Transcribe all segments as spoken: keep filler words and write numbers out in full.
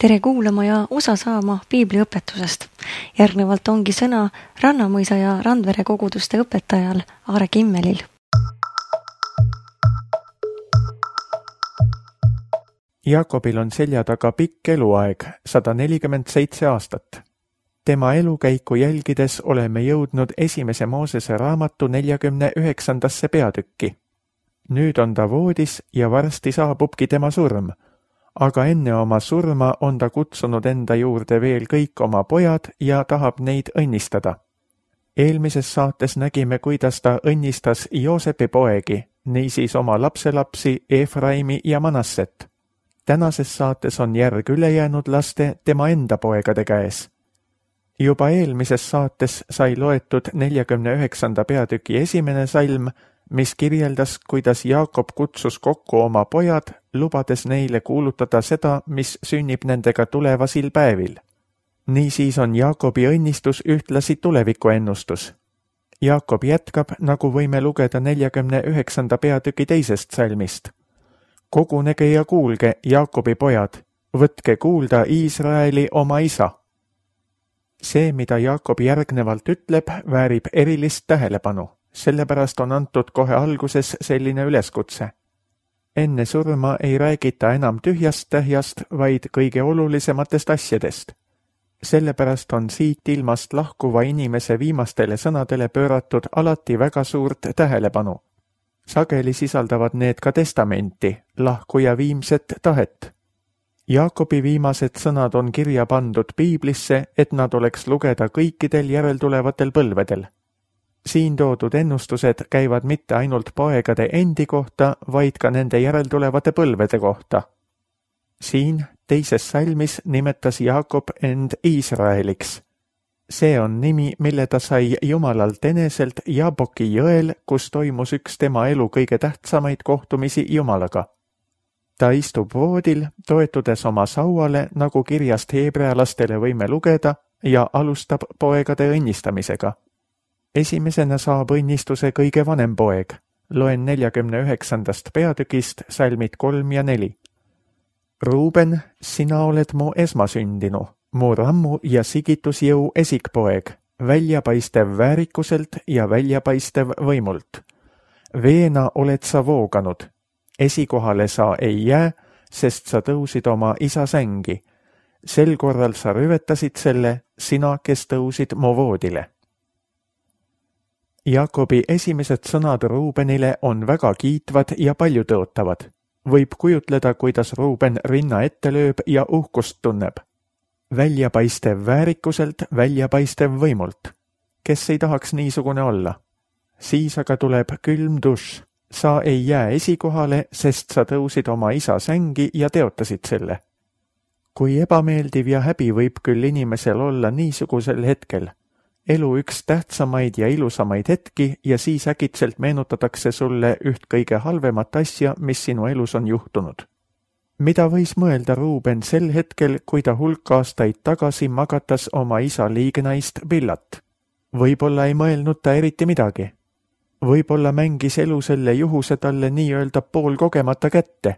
Tere kuulama ja osa saama piibliõpetusest. Järgnevalt ongi sõna Rannamõisa ja Randvere koguduste õpetajal Aare Kimmelil. Jaakobil on selja taga pikk eluaeg, sada nelikümmend seitse aastat. Tema elukäiku jälgides oleme jõudnud esimese Moosese raamatu neljakümne üheksandasse peatükki. Nüüd on ta voodis ja varsti saabubki tema surm. Aga enne oma surma on ta kutsunud enda juurde veel kõik oma pojad ja tahab neid õnnistada. Eelmises saates nägime, kuidas ta õnnistas Joosepi poegi, niisiis oma lapselapsi Efraimi ja Manasset. Tänases saates on järg ülejäänud laste tema enda poegade käes. Juba eelmises saates sai loetud neljakümne üheksanda peatüki esimene salm, mis kirjeldas, kuidas Jaakob kutsus kokku oma pojad, lubades neile kuulutada seda, mis sünnib nendega tulevasil päevil. Niisiis on Jaakobi õnnistus ühtlasi tulevikuennustus. Jaakob jätkab, nagu võime lugeda neljakümne üheksanda peatüki teisest salmist. Kogunege ja kuulge, Jaakobi pojad, võtke kuulda Iisraeli oma isa. See, mida Jaakob järgnevalt ütleb, väärib erilist tähelepanu. Sellepärast on antud kohe alguses selline üleskutse. Enne surma ei räägita enam tühjast tähjast, vaid kõige olulisematest asjadest. Sellepärast on siit ilmast lahkuva inimese viimastele sõnadele pööratud alati väga suurt tähelepanu. Sageli sisaldavad need ka testamenti, lahkuja viimset tahet. Jaakobi viimased sõnad on kirja pandud piiblisse, et nad oleks lugeda kõikidel järeltulevatel põlvedel. Siin toodud ennustused käivad mitte ainult poegade endi kohta, vaid ka nende järeltulevate põlvede kohta. Siin teises salmis nimetas Jaakob end Iisraeliks. See on nimi, mille ta sai Jumalalt eneselt Jaboki jõel, kus toimus üks tema elu kõige tähtsamaid kohtumisi Jumalaga. Ta istub voodil, toetudes oma sauale, nagu kirjast heebrealastele võime lugeda, ja alustab poegade õnnistamisega. Esimesena saab õnnistuse kõige vanem poeg. Loen neljakümne üheksandast peatükist salmid kolm ja neli. Ruuben, sina oled mu esmasündinu, mu rammu ja sigitusjõu esikpoeg, väljapaistev väärikuselt ja väljapaistev võimult. Veena oled sa vooganud. Esikohale sa ei jää, sest sa tõusid oma isa sängi. Sel korral sa rüvetasid selle, sina, kes tõusid mu voodile. Jaakobi esimesed sõnad Ruubenile on väga kiitvad ja paljutõotavad. Võib kujutleda, kuidas Ruuben rinna ette lööb ja uhkust tunneb. Väljapaistev väärikuselt, väljapaistev võimult. Kes ei tahaks niisugune olla? Siis aga tuleb külm duš. Sa ei jää esikohale, sest sa tõusid oma isa sängi ja teotasid selle. Kui ebameeldiv ja häbi võib küll inimesel olla niisugusel hetkel. Elu üks tähtsamaid ja ilusamaid hetki ja siis äkitselt meenutatakse sulle üht kõige halvemat asja, mis sinu elus on juhtunud. Mida võis mõelda Ruuben sel hetkel, kui ta hulk aastaid tagasi magatas oma isa liignaist Billat? Võib-olla ei mõelnud ta eriti midagi. Võib-olla mängis elu selle juhuse talle nii-öelda poolkogemata kätte.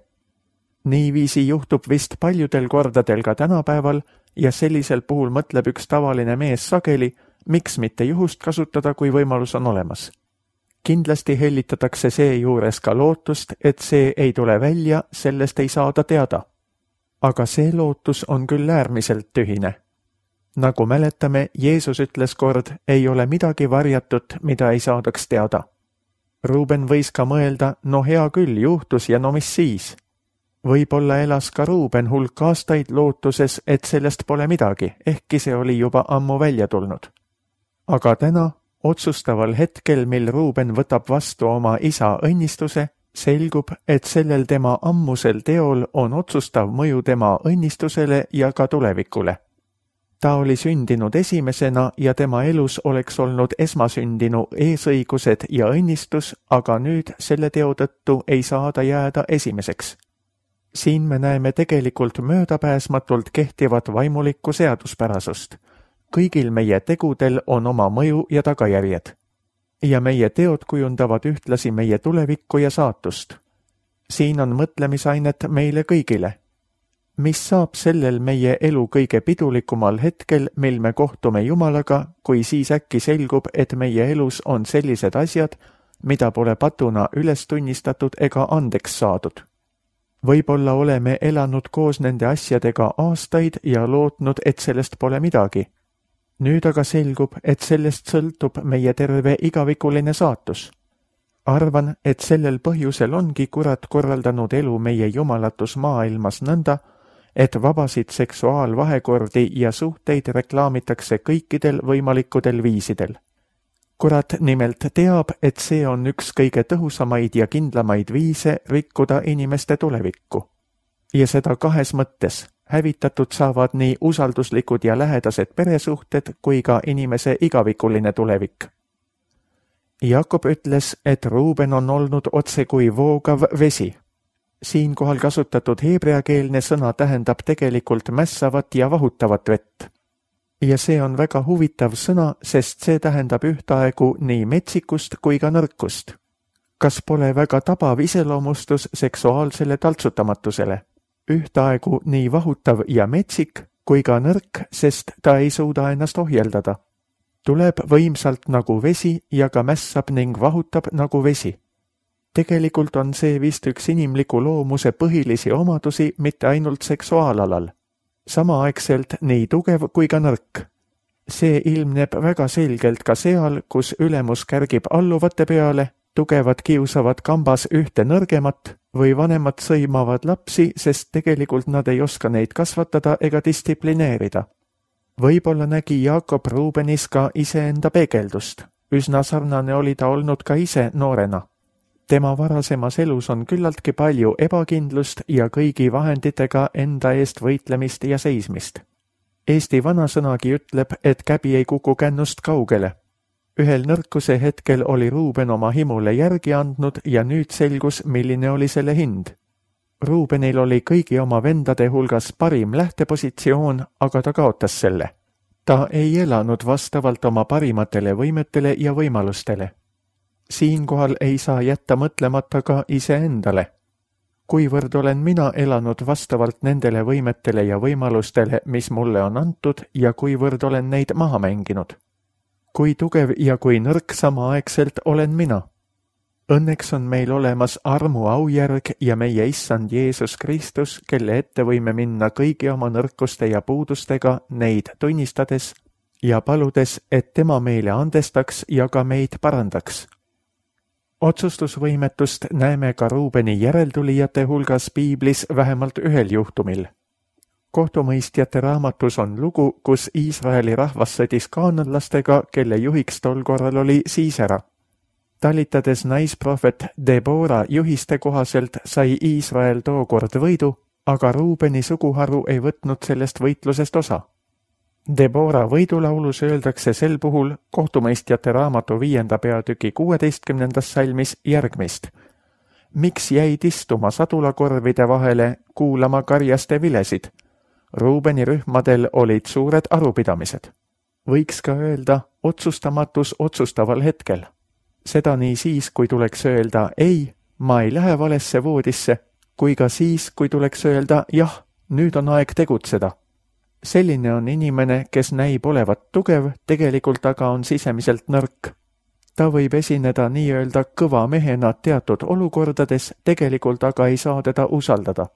Niiviisi juhtub vist paljudel kordadel ka tänapäeval ja sellisel puhul mõtleb üks tavaline mees sageli, miks mitte juhust kasutada, kui võimalus on olemas. Kindlasti hellitatakse see juures ka lootust, et see ei tule välja, sellest ei saada teada. Aga see lootus on küll äärmiselt tühine. Nagu mäletame, Jeesus ütles kord, ei ole midagi varjatut, mida ei saadaks teada. Ruuben võis ka mõelda, no hea küll, juhtus ja no mis siis? Võib-olla elas ka Ruuben hulk aastaid lootuses, et sellest pole midagi, ehkki see oli juba ammu välja tulnud. Aga täna, otsustaval hetkel, mil Ruuben võtab vastu oma isa õnnistuse, selgub, et sellel tema ammusel teol on otsustav mõju tema õnnistusele ja ka tulevikule. Ta oli sündinud esimesena ja tema elus oleks olnud esmasündinu eesõigused ja õnnistus, aga nüüd selle teo tõttu ei saa ta jääda esimeseks. Siin me näeme tegelikult möödapääsmatult kehtivat vaimulikku seaduspärasust. Kõigil meie tegudel on oma mõju ja tagajärjed. Ja meie teod kujundavad ühtlasi meie tulevikku ja saatust. Siin on mõtlemisainet meile kõigile. Mis saab sellel meie elu kõige pidulikumal hetkel, mil me kohtume Jumalaga, kui siis äkki selgub, et meie elus on sellised asjad, mida pole patuna üles tunnistatud ega andeks saadud. Võib-olla oleme elanud koos nende asjadega aastaid ja lootnud, et sellest pole midagi. Nüüd aga selgub, et sellest sõltub meie terve igavikuline saatus. Arvan, et sellel põhjusel ongi kurat korraldanud elu meie jumalatus maailmas nõnda, et vabasid seksuaalvahekordi ja suhteid reklaamitakse kõikidel võimalikudel viisidel. Kurat nimelt teab, et see on üks kõige tõhusamaid ja kindlamaid viise rikkuda inimeste tulevikku. Ja seda kahes mõttes. Hävitatud saavad nii usalduslikud ja lähedased peresuhted kui ka inimese igavikuline tulevik. Jakob ütles, et Ruuben on olnud otse kui voogav vesi. Siinkohal kasutatud heebreakeelne sõna tähendab tegelikult mässavat ja vahutavat vett. Ja see on väga huvitav sõna, sest see tähendab ühtaegu nii metsikust kui ka nõrkust. Kas pole väga tabav iseloomustus seksuaalsele taltsutamatusele? Ühtaegu nii vahutav ja metsik kui ka nõrk, sest ta ei suuda ennast ohjeldada. Tuleb võimsalt nagu vesi ja ka mässab ning vahutab nagu vesi. Tegelikult on see vist üks inimliku loomuse põhilisi omadusi mitte ainult seksuaalalal. Samaaegselt nii tugev kui ka nõrk. See ilmneb väga selgelt ka seal, kus ülemus kärgib alluvate peale, tugevad kiusavad kambas ühte nõrgemat või vanemad sõimavad lapsi, sest tegelikult nad ei oska neid kasvatada ega distsiplineerida. Võib-olla nägi Jakob Ruubenis ka iseenda peegeldust. Üsna sarnane oli ta olnud ka ise noorena. Tema varasemas elus on küllaltki palju ebakindlust ja kõigi vahenditega enda eest võitlemist ja seismist. Eesti vanasõnagi ütleb, et käbi ei kuku kännust kaugele. Ühel nõrkuse hetkel oli Ruuben oma himule järgi andnud ja nüüd selgus, milline oli selle hind. Ruubenil oli kõigi oma vendade hulgas parim lähtepositsioon, aga ta kaotas selle. Ta ei elanud vastavalt oma parimatele võimetele ja võimalustele. Siinkohal ei saa jätta mõtlemata ka iseendale. Kuivõrd olen mina elanud vastavalt nendele võimetele ja võimalustele, mis mulle on antud ja kuivõrd olen neid maha mänginud. Kui tugev ja kui nõrk samaaegselt olen mina. Õnneks on meil olemas armu aujärg ja meie issand Jeesus Kristus, kelle ette võime minna kõigi oma nõrkuste ja puudustega neid tunnistades ja paludes, et tema meile andestaks ja ka meid parandaks. Otsustusvõimetust näeme ka Ruubeni järeltulijate hulgas piiblis vähemalt ühel juhtumil. Kohtumõistjate raamatus on lugu, kus Iisraeli rahvas sõdis kaananlastega, kelle juhiks tol korral oli Siisera. Talitades naisprohvet Debora juhiste kohaselt sai Iisrael tookord võidu, aga Ruubeni suguharu ei võtnud sellest võitlusest osa. Debora võidulaulus öeldakse sel puhul kohtumõistjate raamatu viienda peatüki kuueteistkümnendas salmis järgmist. Miks jäid istuma sadulakorvide vahele kuulama karjaste vilesid? Ruubeni rühmadel olid suured arupidamised. Võiks ka öelda otsustamatus otsustaval hetkel. Seda nii siis, kui tuleks öelda ei, ma ei lähe valesse voodisse, kui ka siis, kui tuleks öelda jah, nüüd on aeg tegutseda. Selline on inimene, kes näib olevat tugev, tegelikult aga on sisemiselt nõrk. Ta võib esineda nii-öelda kõva mehena teatud olukordades, tegelikult aga ei saa teda usaldada.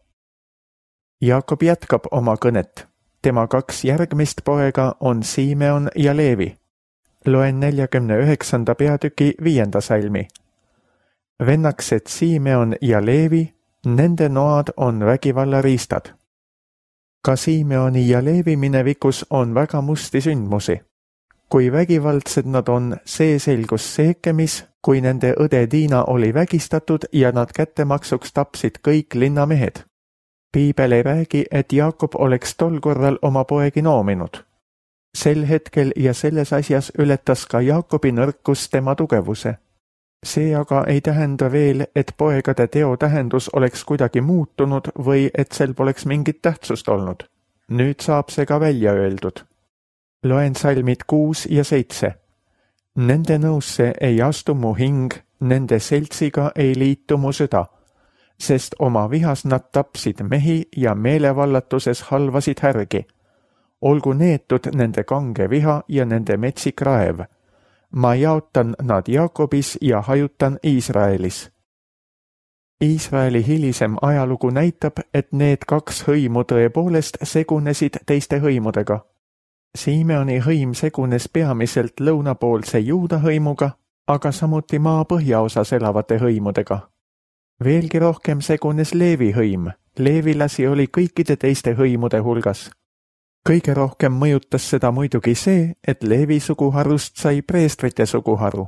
Jakob jätkab oma kõnet. Tema kaks järgmist poega on Simeon ja Leevi. Loen neljakümne üheksanda peatüki viienda salmi. Vennaksed Simeon ja Leevi, nende noad on vägivallariistad. Ka Simeoni ja Leevi minevikus on väga musti sündmusi. Kui vägivaldsed nad on, see selgus Seekemis, kui nende õde Tiina oli vägistatud ja nad kättemaksuks tapsid kõik linnamehed. Piibel ei räägi, et Jakob oleks tol korral oma poegi noominud. Sel hetkel ja selles asjas ületas ka Jakobi nõrkus tema tugevuse. See aga ei tähenda veel, et poegade teo tähendus oleks kuidagi muutunud või et sel poleks mingit tähtsust olnud. Nüüd saab see ka välja öeldud. Loen salmid kuus ja seitse. Nende nõusse ei astu mu hing, nende seltsiga ei liitu mu süda. sest oma vihas nad tapsid mehi ja meelevallatuses halvasid härgi. Olgu neetud nende kange viha ja nende metsik raev. Ma jaotan nad Jaakobis ja hajutan Iisraelis. Iisraeli hilisem ajalugu näitab, et need kaks hõimu tõepoolest segunesid teiste hõimudega. Simeoni hõim segunes peamiselt lõunapoolse Juuda hõimuga, aga samuti maa põhjaosas elavate hõimudega. Veelgi rohkem segunes Leevi hõim. Leevilasi oli kõikide teiste hõimude hulgas. Kõige rohkem mõjutas seda muidugi see, et Leevi suguharust sai preestrite suguharu.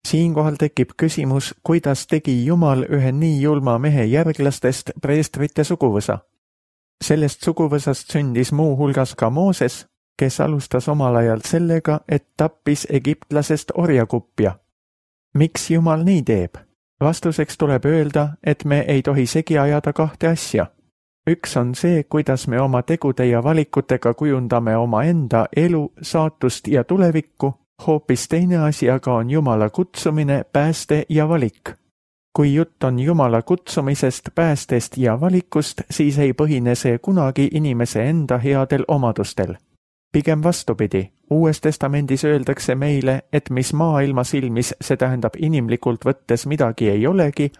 Siinkohal tekib küsimus, kuidas tegi Jumal ühe nii julma mehe järglastest preestrite suguvõsa. Sellest suguvõsast sündis muu hulgas ka Mooses, kes alustas omal ajal sellega, et tappis egiptlasest orjakupja. Miks Jumal nii teeb? Vastuseks tuleb öelda, et me ei tohi segi ajada kahte asja. Üks on see, kuidas me oma tegude ja valikutega kujundame oma enda elu, saatust ja tulevikku, hoopis teine asi aga on Jumala kutsumine, pääste ja valik. Kui jutt on Jumala kutsumisest, päästest ja valikust, siis ei põhine see kunagi inimese enda headel omadustel. Pigem vastupidi, Uues testamendis öeldakse meile, et mis maailma silmis, see tähendab inimlikult võttes midagi ei olegi,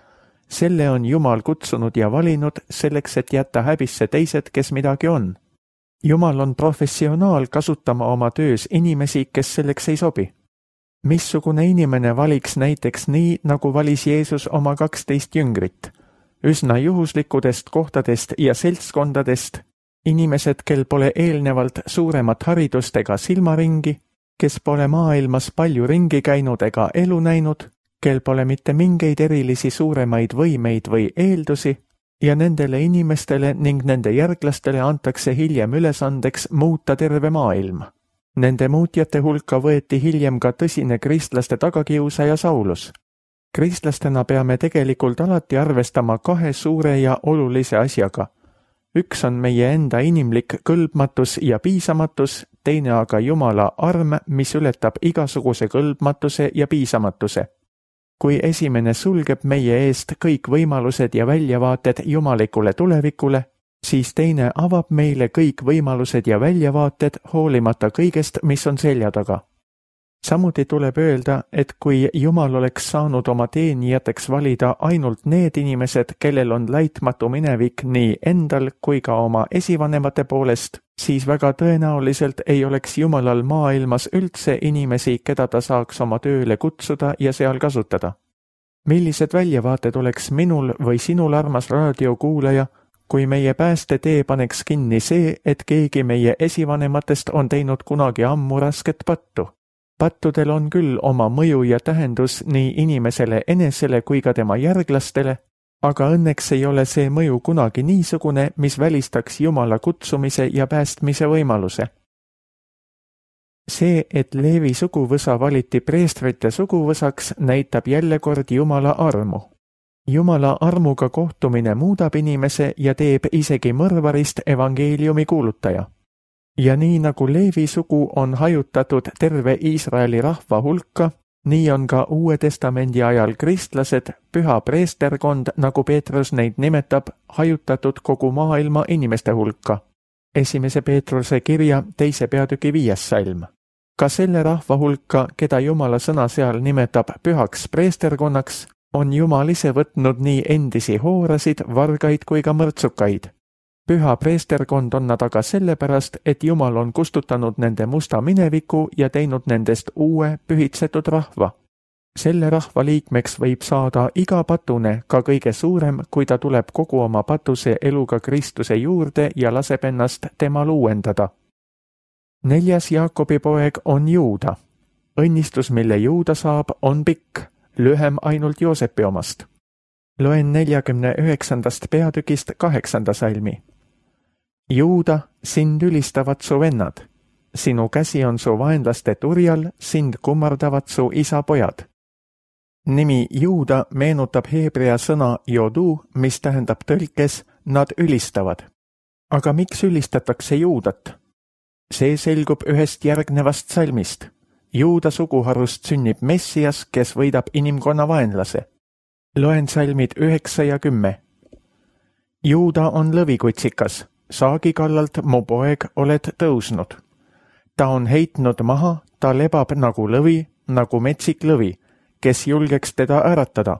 selle on Jumal kutsunud ja valinud selleks, et jätta häbisse teised, kes midagi on. Jumal on professionaal kasutama oma töös inimesi, kes selleks ei sobi. Missugune inimene valiks näiteks nii, nagu valis Jeesus oma kaksteist jüngrit? Üsna juhuslikudest kohtadest ja seltskondadest, inimesed, kel pole eelnevalt suuremat haridust ega silmaringi, kes pole maailmas palju ringi käinud ega elu näinud, kel pole mitte mingeid erilisi suuremaid võimeid või eeldusi, ja nendele inimestele ning nende järglastele antakse hiljem ülesandeks muuta terve maailm. Nende muutjate hulka võeti hiljem ka tõsine kristlaste tagakiusaja Saulus. Kristlastena peame tegelikult alati arvestama kahe suure ja olulise asjaga. Üks on meie enda inimlik kõlbmatus ja piisamatus, teine aga Jumala arm, mis ületab igasuguse kõlbmatuse ja piisamatuse. Kui esimene sulgeb meie eest kõik võimalused ja väljavaated jumalikule tulevikule, siis teine avab meile kõik võimalused ja väljavaated hoolimata kõigest, mis on selja taga. Samuti tuleb öelda, et kui Jumal oleks saanud oma teenijateks valida ainult need inimesed, kellel on laitmatu minevik nii endal kui ka oma esivanemate poolest, siis väga tõenäoliselt ei oleks Jumalal maailmas üldse inimesi, keda ta saaks oma tööle kutsuda ja seal kasutada. Millised väljavaated oleks minul või sinul, armas raadiokuulaja, kui meie päästetee paneks kinni see, et keegi meie esivanematest on teinud kunagi ammu rasket pattu? Pattudel on küll oma mõju ja tähendus nii inimesele enesele kui ka tema järglastele, aga õnneks ei ole see mõju kunagi niisugune, mis välistaks Jumala kutsumise ja päästmise võimaluse. See, et Leevi suguvõsa valiti preestrite suguvõsaks, näitab jälle kord Jumala armu. Jumala armuga kohtumine muudab inimese ja teeb isegi mõrvarist evangeeliumi kuulutaja. Ja nii nagu Leevi sugu on hajutatud terve Iisraeli rahva hulka, nii on ka Uue testamendi ajal kristlased, püha preesterkond, nagu Peetrus neid nimetab, hajutatud kogu maailma inimeste hulka. Esimese Peetruse kirja teise peatüki viies salm. Ka selle rahva hulka, keda Jumala sõna seal nimetab pühaks preesterkonnaks, on Jumal ise võtnud nii endisi hoorasid, vargaid kui ka mõrtsukaid. Püha preesterkond on nad aga sellepärast, et Jumal on kustutanud nende musta mineviku ja teinud nendest uue pühitsetud rahva. Selle rahva liikmeks võib saada iga patune, ka kõige suurem, kui ta tuleb kogu oma patuse eluga Kristuse juurde ja laseb ennast temal uuendada. Neljas Jaakobi poeg on Juuda. Õnnistus, mille Juuda saab, on pikk, lühem ainult Joosepi omast. Loen neljakümne üheksandast peatükist kaheksanda salmi. Juuda, sind ülistavad su vennad. Sinu käsi on su vaenlaste turjal, sind kummardavad su isa pojad. Nimi Juuda meenutab heebrea sõna jodu, mis tähendab tõlkes nad ülistavad. Aga miks ülistatakse Juudat? See selgub ühest järgnevast salmist. Juuda suguharust sünnib Messias, kes võidab inimkonna vaenlase. Loen salmid üheksa ja kümme. Juuda on lõvikutsikas, saagi kallalt mu poeg oled tõusnud. Ta on heitnud maha, ta lebab nagu lõvi, nagu metsik lõvi, kes julgeks teda äratada.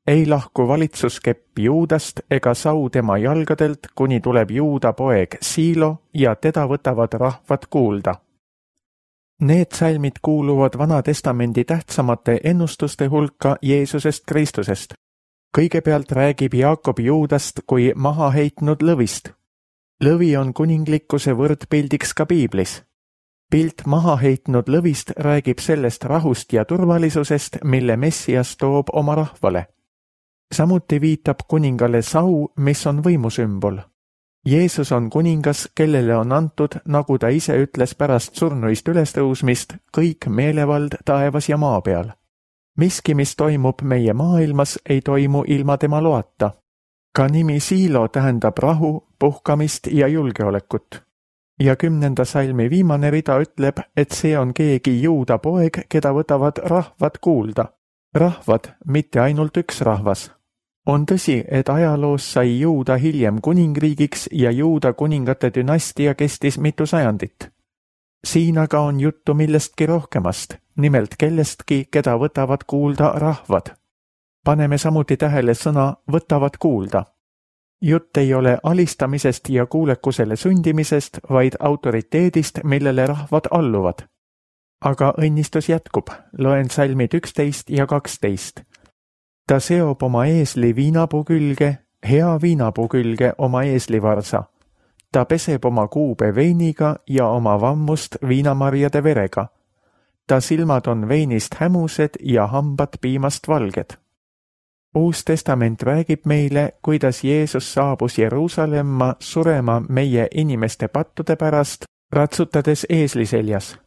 Ei lahku valitsuskepp Juudast ega sau tema jalgadelt, kuni tuleb Juuda poeg Siilo ja teda võtavad rahvad kuulda. Need salmid kuuluvad Vana Testamendi tähtsamate ennustuste hulka Jeesusest Kristusest. Kõigepealt räägib Jaakob Juudast kui maha heitnud lõvist. Lõvi on kuninglikkuse võrdpildiks ka piiblis. Pilt maha heitnud lõvist räägib sellest rahust ja turvalisusest, mille Messias toob oma rahvale. Samuti viitab kuningale sau, mis on võimusümbol. Jeesus on kuningas, kellele on antud, nagu ta ise ütles pärast surnuist ülestõusmist, kõik meelevald taevas ja maa peal. Miski, mis toimub meie maailmas, ei toimu ilma tema loata. Ka nimi Siilo tähendab rahu, puhkamist ja julgeolekut. Ja kümnenda salmi viimane rida ütleb, et see on keegi Juuda poeg, keda võtavad rahvad kuulda. Rahvad, mitte ainult üks rahvas. On tõsi, et ajaloos sai Juuda hiljem kuningriigiks ja Juuda kuningate dünastia kestis mitu sajandit. Siin aga on juttu millestki rohkemast, nimelt kellestki, keda võtavad kuulda rahvad. Paneme samuti tähele sõna võtavad kuulda. Jutt ei ole alistamisest ja kuulekusele sundimisest, vaid autoriteedist, millele rahvad alluvad. Aga õnnistus jätkub, loen salmid üksteist ja kaksteist. Ta seob oma eesli viinapuu külge, hea viinapuu külge oma eeslivarsa. Ta peseb oma kuube veiniga ja oma vammust viinamarjade verega. Ta silmad on veinist hämused ja hambad piimast valged. Uus testament räägib meile, kuidas Jeesus saabus Jeruusalemma surema meie inimeste pattude pärast, ratsutades eesli seljas.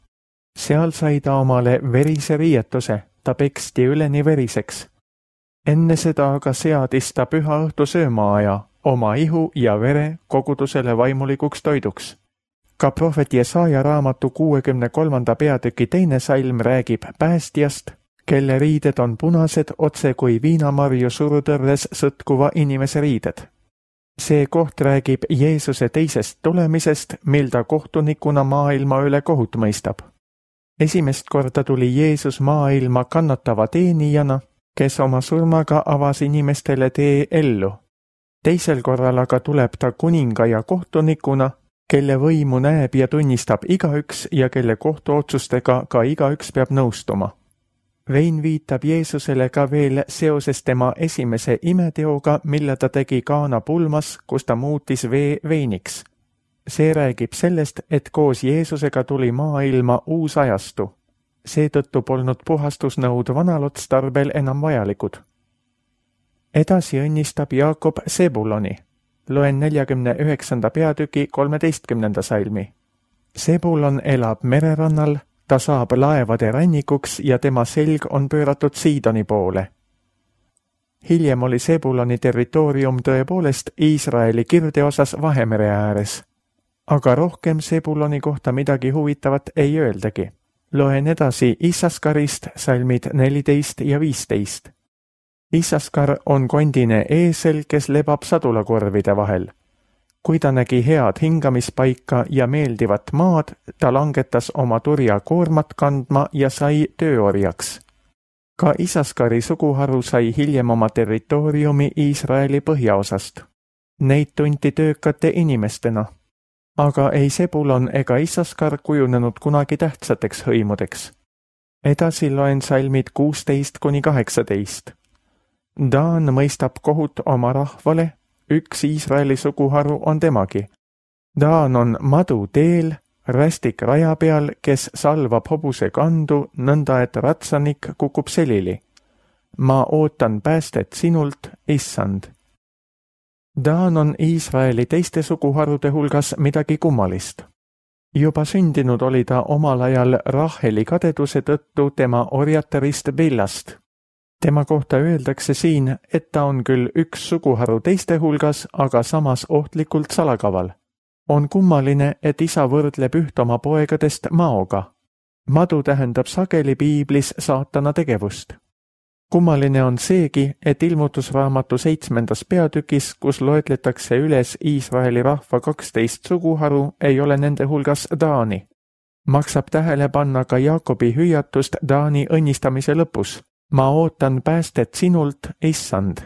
Seal sai ta omale verise riietuse, ta peksti üleni veriseks. Enne seda aga seadis ta püha õhtu söömaaja, oma ihu ja vere kogudusele vaimulikuks toiduks. Ka prohvet Jesaja raamatu kuuekümne kolmanda peatüki teine salm räägib päästjast, kelle riided on punased otse kui viinamarju surutõrres sõtkuva inimese riided. See koht räägib Jeesuse teisest tulemisest, mil ta kohtunikuna maailma üle kohut mõistab. Esimest korda tuli Jeesus maailma kannatava teenijana, kes oma surmaga avas inimestele tee ellu. Teisel korral aga tuleb ta kuninga ja kohtunikuna, kelle võimu näeb ja tunnistab igaüks ja kelle kohtuotsustega ka igaüks peab nõustuma. Vein viitab Jeesusele ka veel seoses tema esimese imeteoga, mille ta tegi Kaana pulmas, kus ta muutis vee veiniks. See räägib sellest, et koos Jeesusega tuli maailma uus ajastu. Seetõttu polnud puhastusnõud vanal otstarbel enam vajalikud. Edasi õnnistab Jaakob Sebuloni. Loen neljakümne üheksanda peatüki kolmeteistkümnenda salmi. Sebulon elab mererannal, ta saab laevade rannikuks ja tema selg on pööratud Siidoni poole. Hiljem oli Sebuloni territoorium tõepoolest Iisraeli kirdeosas Vahemere ääres. Aga rohkem Sebuloni kohta midagi huvitavat ei öeldagi. Loen edasi Issaskarist salmid neliteist ja viisteist. Issaskar on kondine eesel, kes lebab sadulakorvide vahel. Kui ta nägi head hingamispaika ja meeldivat maad, ta langetas oma turja koormat kandma ja sai tööorjaks. Ka Issaskari suguharu sai hiljem oma territooriumi Iisraeli põhjaosast. Neid tunti töökate inimestena. Aga ei Sebulon ega Issaskar kujunenud kunagi tähtsateks hõimudeks. Edasi loen salmid kuusteist kuni kaheksateist. Daan mõistab kohut oma rahvale, üks Iisraeli suguharu on temagi. Daan on madu teel, rästik raja peal, kes salvab hobuse kandu, nõnda et ratsanik kukub selili. Ma ootan päästet sinult, issand. Daan on Iisraeli teiste suguharude hulgas midagi kummalist. Juba sündinud oli ta omal ajal Raheli kadeduse tõttu tema orjatarist Billast. Tema kohta öeldakse siin, et ta on küll üks suguharu teiste hulgas, aga samas ohtlikult salakaval. On kummaline, et isa võrdleb üht oma poegadest maoga. Madu tähendab sageli piiblis saatana tegevust. Kummaline on seegi, et ilmutusraamatu seitsmendas peatükis, kus loetletakse üles Iisraeli rahva kaksteist suguharu, ei ole nende hulgas Taani. Maksab tähele panna ka Jaakobi hüüatust Taani õnnistamise lõpus. Ma ootan päästet sinult, issand.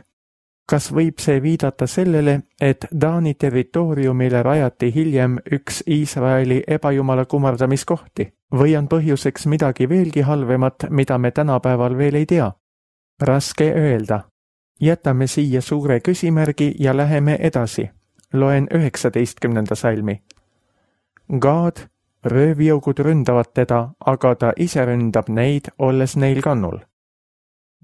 Kas võib see viidata sellele, et Taani territooriumile rajati hiljem üks Iisraeli ebajumala kummardamiskohti? Või on põhjuseks midagi veelgi halvemat, mida me tänapäeval veel ei tea? Raske öelda. Jätame siia suure küsimärgi ja läheme edasi. Loen üheksateistkümnenda salmi. Gaad, röövjõugud ründavad teda, aga ta ise ründab neid, olles neil kannul.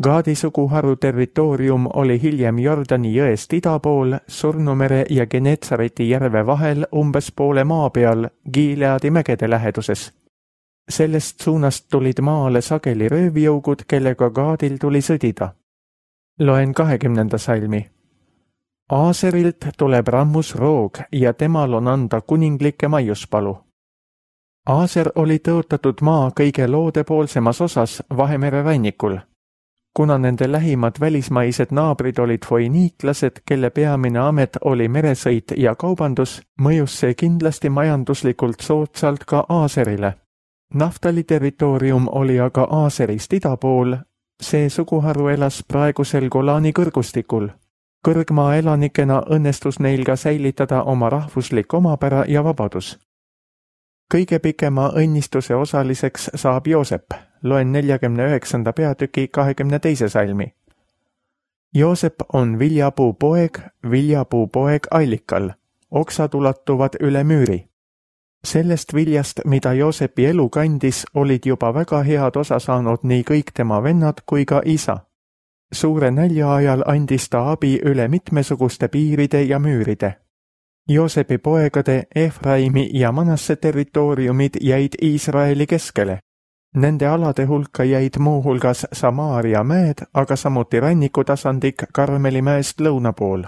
Gaadi suguharu territoorium oli hiljem Jordani jõest ida pool, Surnumere ja Genetsareti järve vahel umbes poole maa peal Gileadi mägede läheduses. Sellest suunast tulid maale sageli röövjõugud, kellega Gaadil tuli sõdida. Loen kahekümnenda salmi. Aaserilt tuleb rammus roog ja temal on anda kuninglikke maiuspalu. Aaser oli tõotatud maa kõige loodepoolsemas osas Vahemere rannikul. Kuna nende lähimad välismaised naabrid olid foiniiklased, kelle peamine amet oli meresõit ja kaubandus, mõjus see kindlasti majanduslikult soodsalt ka Aaserile. Naftali territoorium oli aga Aaserist ida pool, see suguharu elas praegusel Golani kõrgustikul. Kõrgmaa elanikena õnnestus neil ka säilitada oma rahvuslik omapära ja vabadus. Kõige pikema õnnistuse osaliseks saab Joosep, loen neljakümne üheksanda peatüki kahekümne teise salmi. Joosep on viljapuu poeg, viljapuu poeg allikal, oksad ulatuvad üle müüri. Sellest viljast, mida Joosepi elu kandis, olid juba väga head osa saanud nii kõik tema vennad kui ka isa. Suure nälja ajal andis ta abi üle mitmesuguste piiride ja müüride. Joosepi poegade Efraimi ja Manasse territooriumid jäid Iisraeli keskele. Nende alade hulka jäid muuhulgas Samaaria mäed, aga samuti rannikutasandik Karmeli mäest lõuna pool.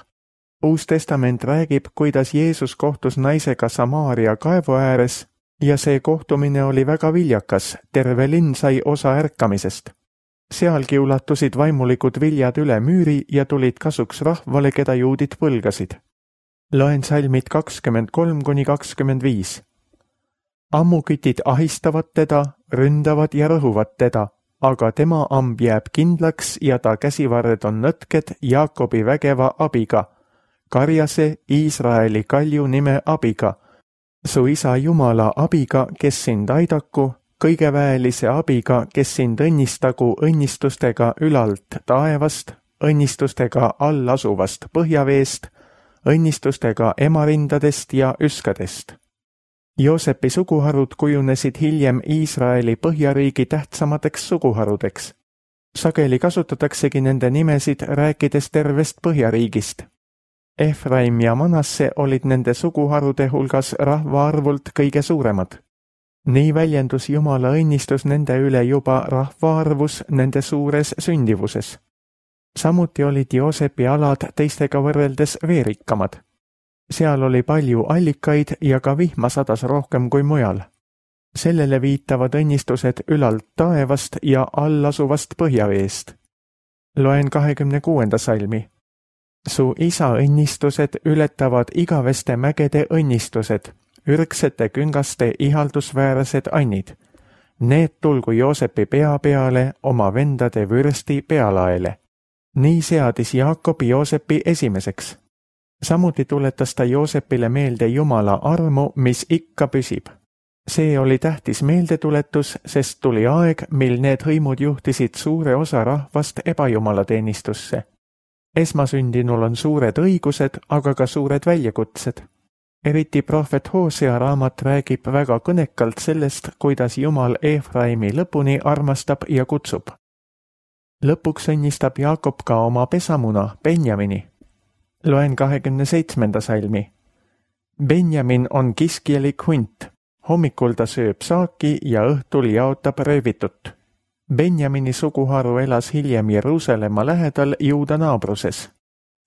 Uus testament räägib, kuidas Jeesus kohtus naisega Samaaria kaevu ääres ja see kohtumine oli väga viljakas, terve linn sai osa ärkamisest. Sealgi ulatusid vaimulikud viljad üle müüri ja tulid kasuks rahvale, keda juudid põlgasid. Loen salmid kakskümmend kolm kuni kakskümmend viis. Ammukitid ahistavad teda, ründavad ja rõhuvad teda, aga tema amb jääb kindlaks ja ta käsivarred on nõtked Jaakobi vägeva abiga, Karjase Iisraeli kalju nime abiga, su isa Jumala abiga, kes sind aidaku, kõigeväelise abiga, kes sind õnnistagu õnnistustega ülalt taevast, õnnistustega all asuvast põhjaveest, õnnistustega emarindadest ja üskadest. Joosepi suguharud kujunesid hiljem Iisraeli põhjariigi tähtsamateks suguharudeks. Sageli kasutataksegi nende nimesid rääkides tervest põhjariigist. Efraim ja Manasse olid nende suguharude hulgas rahvaarvult kõige suuremad. Nii väljendus Jumala õnnistus nende üle juba rahvaarvus nende suures sündivuses. Samuti olid Joosepi alad teistega võrreldes veerikkamad. Seal oli palju allikaid ja ka vihma sadas rohkem kui mujal. Sellele viitavad õnnistused ülalt taevast ja allasuvast põhjaveest. Loen kahekümne kuuenda salmi. Su isa õnnistused ületavad igaveste mägede õnnistused, ürgsete küngaste ihaldusväärsed annid. Need tulgu Joosepi pea peale oma vendade vürsti pealaele. Nii seadis Jaakob Joosepi esimeseks. Samuti tuletas ta Joosepile meelde Jumala armu, mis ikka püsib. See oli tähtis meeldetuletus, sest tuli aeg, mil need hõimud juhtisid suure osa rahvast ebajumalateenistusse. Esmasündinul on suured õigused, aga ka suured väljakutsed. Eriti prohvet Hoosea raamat räägib väga kõnekalt sellest, kuidas Jumal Efraimi lõpuni armastab ja kutsub. Lõpuks õnnistab Jaakob ka oma pesamuna, Benjamini. Loen kahekümne seitsmenda salmi. Benjamin on kiskjelik hunt. Hommikul ta sööb saaki ja õhtul jaotab röövitut. Benjamini suguharu elas hiljem Jeruusalemma lähedal Juuda naabruses.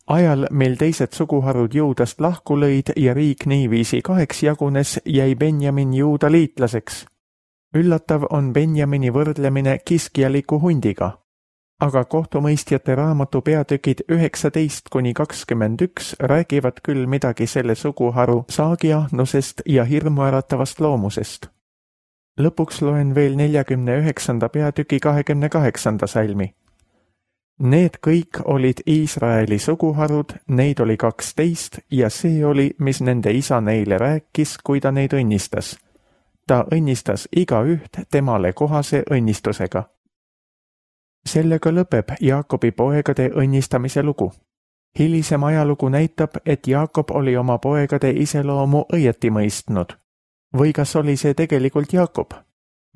Ajal, mil teised suguharud Juudast lahku lõid ja riik niiviisi kaheks jagunes, jäi Benjamin Juuda liitlaseks. Üllatav on Benjamini võrdlemine kiskjaliku hundiga. aga kohtumõistjate raamatu peatükid üheksateist kuni kakskümmend üks räägivad küll midagi selle suguharu saagiahnusest ja hirmuäratavast loomusest. Lõpuks loen veel neljakümne üheksanda peatüki kahekümne kaheksanda salmi. Need kõik olid Iisraeli suguharud, neid oli kaksteist ja see oli, mis nende isa neile rääkis, kui ta neid õnnistas. Ta õnnistas igaüht temale kohase õnnistusega. Sellega lõpeb Jaakobi poegade õnnistamise lugu. Hilisem ajalugu näitab, et Jaakob oli oma poegade iseloomu õieti mõistnud. Või kas oli see tegelikult Jaakob?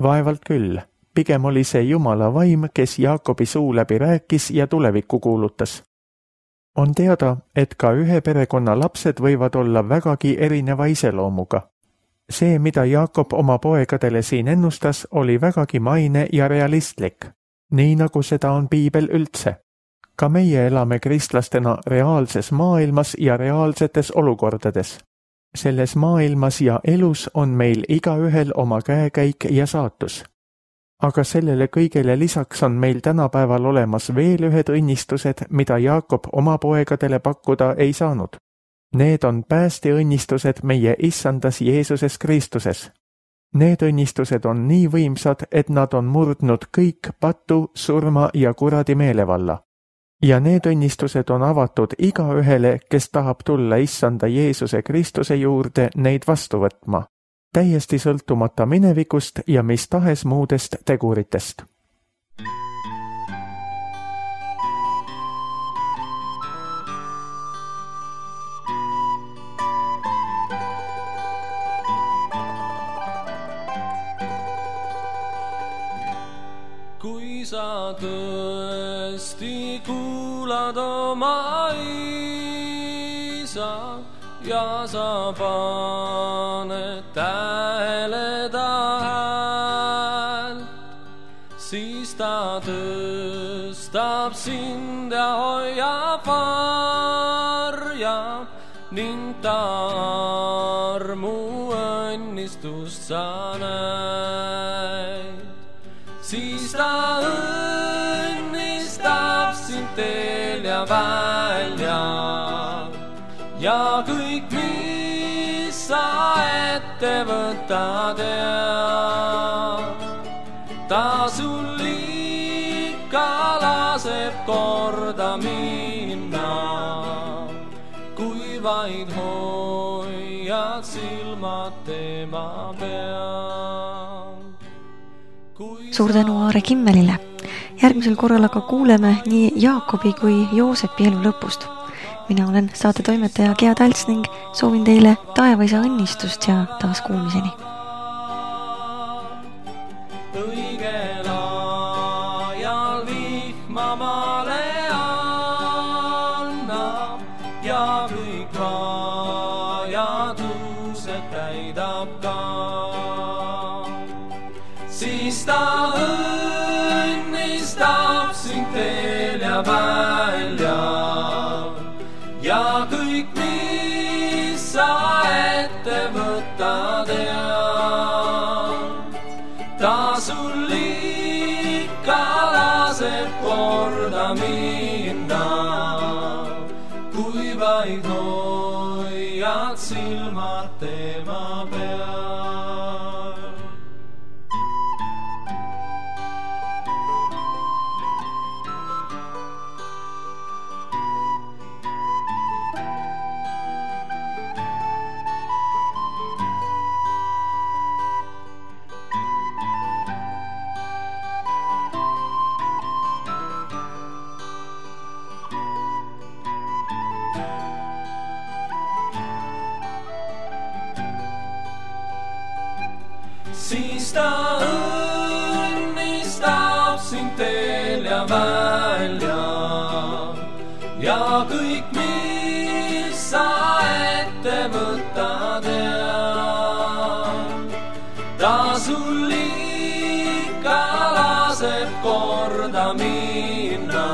Vaevalt küll. Pigem oli see Jumala vaim, kes Jaakobi suu läbi rääkis ja tulevikku kuulutas. On teada, et ka ühe perekonna lapsed võivad olla vägagi erineva iseloomuga. See, mida Jaakob oma poegadele siin ennustas, oli vägagi maine ja realistlik, nii nagu seda on piibel üldse. Ka meie elame kristlastena reaalses maailmas ja reaalsetes olukordades. Selles maailmas ja elus on meil igaühel oma käekäik ja saatus. Aga sellele kõigele lisaks on meil tänapäeval olemas veel ühed õnnistused, mida Jaakob oma poegadele pakkuda ei saanud. Need on päästeõnnistused meie issandas Jeesuses Kristuses. Need õnnistused on nii võimsad, et nad on murdnud kõik patu, surma ja kuradi meelevalla. Ja need õnnistused on avatud igaühele, kes tahab tulla issanda Jeesuse Kristuse juurde neid vastu võtma. Täiesti sõltumata minevikust ja mis tahes muudest teguritest. Kui sa tõesti kuulad oma isa ja sa paned tähele ta häält, siis ta tõstab sind ja hoiab varjab ning ta armu õnnistust sa näid. Siis ta õnnistab sind teel ja välja ja kõik, mis sa ette võtad ja ta sul ikka laseb korda minna, kui vaid hoiad silmad tema peal. Suur tänu Aare Kimmelile. Järgmisel korral aga kuuleme nii Jaakobi kui Joosepi elu lõpust. Mina olen saate toimetaja Gea Talts ning soovin teile taevaisa õnnistust ja taas kuulmiseni. Õigel ajal vihma maale annab ja kõik vajadused täidab ka. Siis ta õnnistab sind teel ja välja ja kõik, mis sa ette võtad ja ta sul ikka laseb korda minna, kui vaid hoiad silmad tema peal. Siis ta õnnistab sind teel ja välja ja kõik, mis sa ette võtad ja ta sul ikka laseb korda minna,